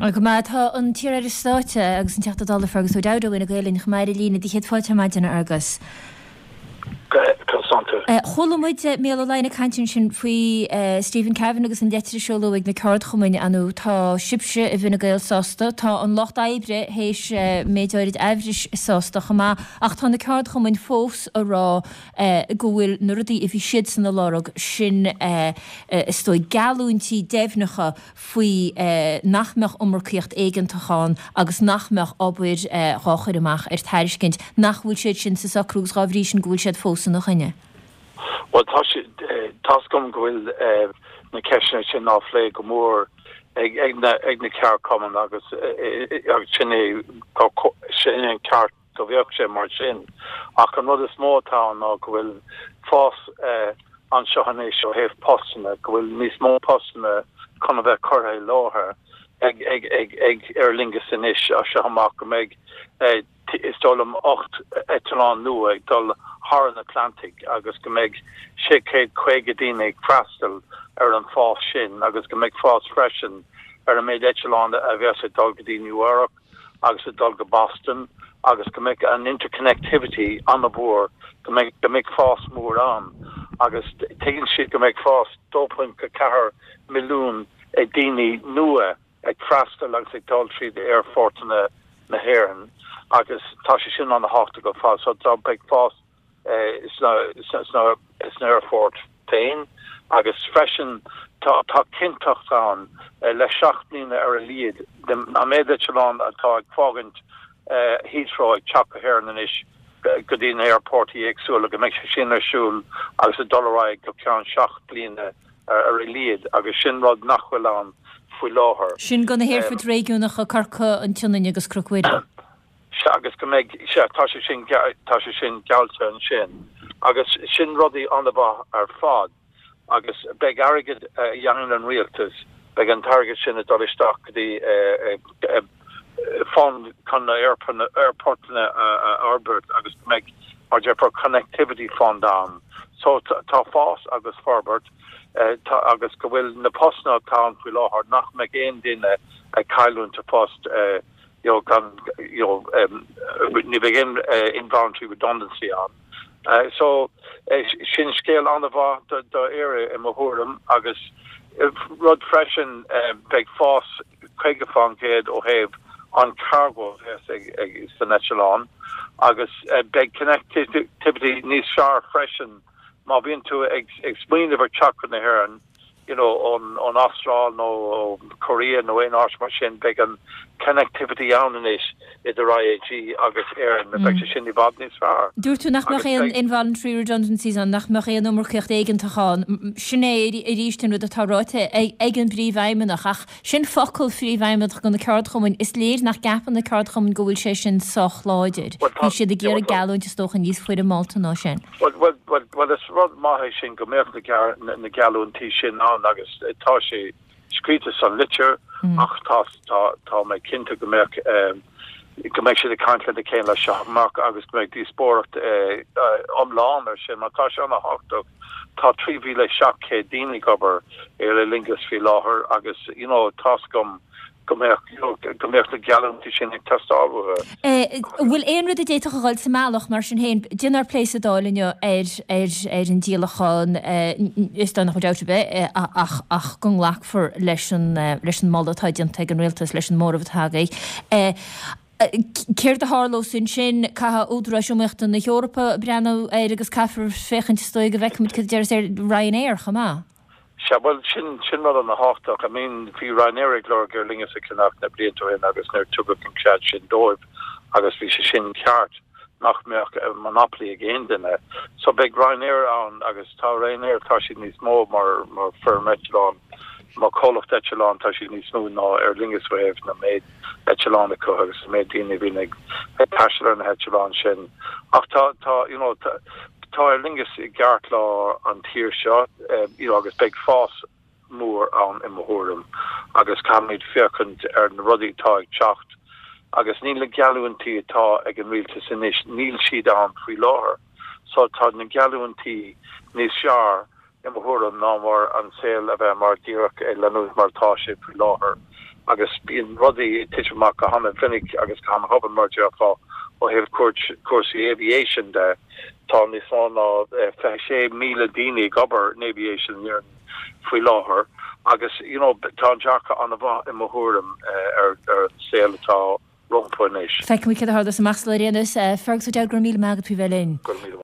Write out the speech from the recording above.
Go maith. Tá an t-iar-aire stáit agus an Teachta Dála Fergus O'Dowd ó Fhine Gael linn chomh maith ar an líne. Céad fáilte ar maidin, a Fhergus. Conas tánn tú? Chuala muid Mícheál Ó Laighin ag caint ansin faoi Stephen Kavanagh agus an leitir a seoladh ag na ceardchumainn. Ar ndóigh, tá sibhse i bhFine Gael sásta, tá an Lucht Oibre théis méid áirid aimhris sásta chomh maith, ach tá na ceardchumainn fós a rá go bhfuil na rudaí a bhí siadsan a lorg, sin is dóigh geallúintí deimhneacha faoi nach mbeadh iomarcaíocht éigeantach ann agus nach mbeadh obair dhá chur amach ar tairiscint, nach bhfuil siad sin sa socrú agus dhá bhrí sin go bhfuil siad fós ina choinne. Bhuel, tá sé, tá's agam go bhfuil na ceisteanna sin á phlé go mór ag na ag na ceardchumainn agus agus sin é sin é an ceart go bheadh sé mar sin. Ach an rud is mó atá ann ná go bhfuil fás anseo anois ó thaobh postanna, go bhfuil níos mó postanna chun a bheith curtha i láthair ag ag ag ag Aer Lingus anois as seo amach, go mbeidh is dóigh liom 8 eitleán nua ag dul thar an Atlantaigh agus go mbeidh 650 daoine ag freastal ar an fás sin agus go mbeidh fás freisin ar an méid eitleán a bheas ag dul go dtí Nua Eabhrac agus ag dul go Boston agus go mbeidh an interconnectivity an-mhór, go mbeidh, go mbeidh fás mór ann agus tuigeann siad go mbeidh fás 2.4 milliún ag daoine nua ag freastal agus ag dul tríd aerfortanna na hÉireann agus tá sé sin an-thábhachtach ar fad so tá, beidh fás sna aerfoirt féin agus freisin tá cinnteacht ann le 7 mbliana ar a laghad an méid eitleán atá ag fágaint Heathrow ag teacht go hÉirinn anois go dtí na haerfoirt éagsúla go mbeidh sé sin ar siúl agus ag dul ar aghaidh go ceann 7 bliana ar a laghad agus sin rud nach bhfuil ann faoi láthair. Sin do na haerfoirt réigiúnacha, Corcaigh, an tSionainn agus Cnoc Mhuire. Sea, agus go mbeidh, sea, tá sé sin, tá sé sin geallta ansin. Agus sin rudaí an-mhaith ar fad. Agus beidh airgead a dhéanann an rialtas, beidh an t-airgead sin ag dul isteach go dtí fund chun na aerportanna a fhorbairt agus go mbeidh, mar a déarfá, connectivity fund ann. So tá fás agus forbairt agus go bhfuil na postanna atá ann faoi láthair nach mbeidh aon duine ag cailliúint a phost you know, gan, you know, ní bheidh aon involuntary redundancy ann. So, sin scéal an-mhaith do, do Éire i mo thuairim agus rud freisin beidh fás 50% ó thaobh an cargo a bheas ag, ag, san eitleán agus beidh connectivity níos fearr freisin má bhíonn tú ag, ag smaoineamh ar teacht chun na hÉireann you know, ón, ón Astráil nó ó Korea nó aon áit mar sin, beidh an connectivity ann anois idir IAG agus Éirinn, beidh sé sin i bhfad níos fearr. Dúirt tú nach mbeadh aon involuntary redundancies ann, nach mbeadh aon iomarcaíocht éigeantach ann. Sin é arís an rud atá ráite ag an bPríomhfheidhmeannach, ach sin focal Phríomhfheidhmeannach do na ceardchumainn. Is léir nach gceapann na ceardchumainn go bhfuil sé sin sách láidir. Bhí siad ag iarraidh geallúint is dócha níos foirmeálta ná sin. Bhuel, bhuel, bhuel, is rud maith é sin go mbeadh na, na geallúintí sin ann agus tá sé scríte san litir ach tá, tá, tá mé cinnte go mbeadh, go mbeidh siad ag caint lena chéile as seo amach agus go mbeidh díospóireacht iomlán ar sin mar tá sé an-thábhachtach. Tá 3,700 daoine ag obair ar Aer Lingus faoi láthair agus, you know, tá's agam go mbeadh, you know, go mbeadh na geallúintí sin ag teastáil uathu. An bhfuil aon rud a d'fhéadfadh a dhul sa mbealach, mar sin féin? Deineadh plé sa Dáil inniu ar, ar, ar an díolachán, is dóigh nach bhfuil dabht ar bith ach, ach go nglacfar leis an, leis an moladh atá déanta ag an Rialtas, leis an móramh atá agaibh. Céard a tharlós ansin? Caithfidh Údaráis Iomaíochta na hEorpa breathnú air agus caithfear féachaint, is dóigh, go bhfeicfimid cad a déarfas Ryanair chomh maith. Sea, bhuel, sin, sin rud ana-thábhachtach. I mean, bhí Ryanair ag lorg Aer Lingus a cheannach na blianta ó shin agus níor tugadh an cead sin dóibh agus bhí sé sin ceart nach mbeadh monopoly ag aon duine. So beidh Ryanair ann agus tá Ryanair, tá siad níos mó mar, mar firm eitleán, mar comhlacht eitleán, tá siad níos mó ná Aer Lingus ó thaobh na méid eitleán acu agus an méid daoine a bhíonn ag taisteal ar na heitleáin sin. Ach tá, tá, you know, tá, tá Aer Lingus i gceartlár an tír seo, you know, agus beidh fás mór ann i mo thuairim agus caithfimid féachaint ar na rudaí atá ag teacht agus níl na geallúintí atá ag an rialtas anois, níl siad ann faoi láthair. So tá na geallúintí níos fearr i mo thuairim ná mar an saol a bheith mar díreach ag leanúint mar atá sé faoi láthair. Agus bíonn rudaí ag titim amach go hana-mhinic agus go hana-thobann, mar a déarfá, ó thaobh cúrsaí aviation de. Tá níos mó ná 26,000 daoine ag obair in aviation in Éirinn faoi láthair agus you know tá an dearcadh an-mhaith i mo thuairim ar an saol atá rompu anois. Feicfimid céard a tharlós amach sula ar aon nós. Fergus O'Dowd, go raibh míle maith agat faoi bheith linn. Go raibh míle maith.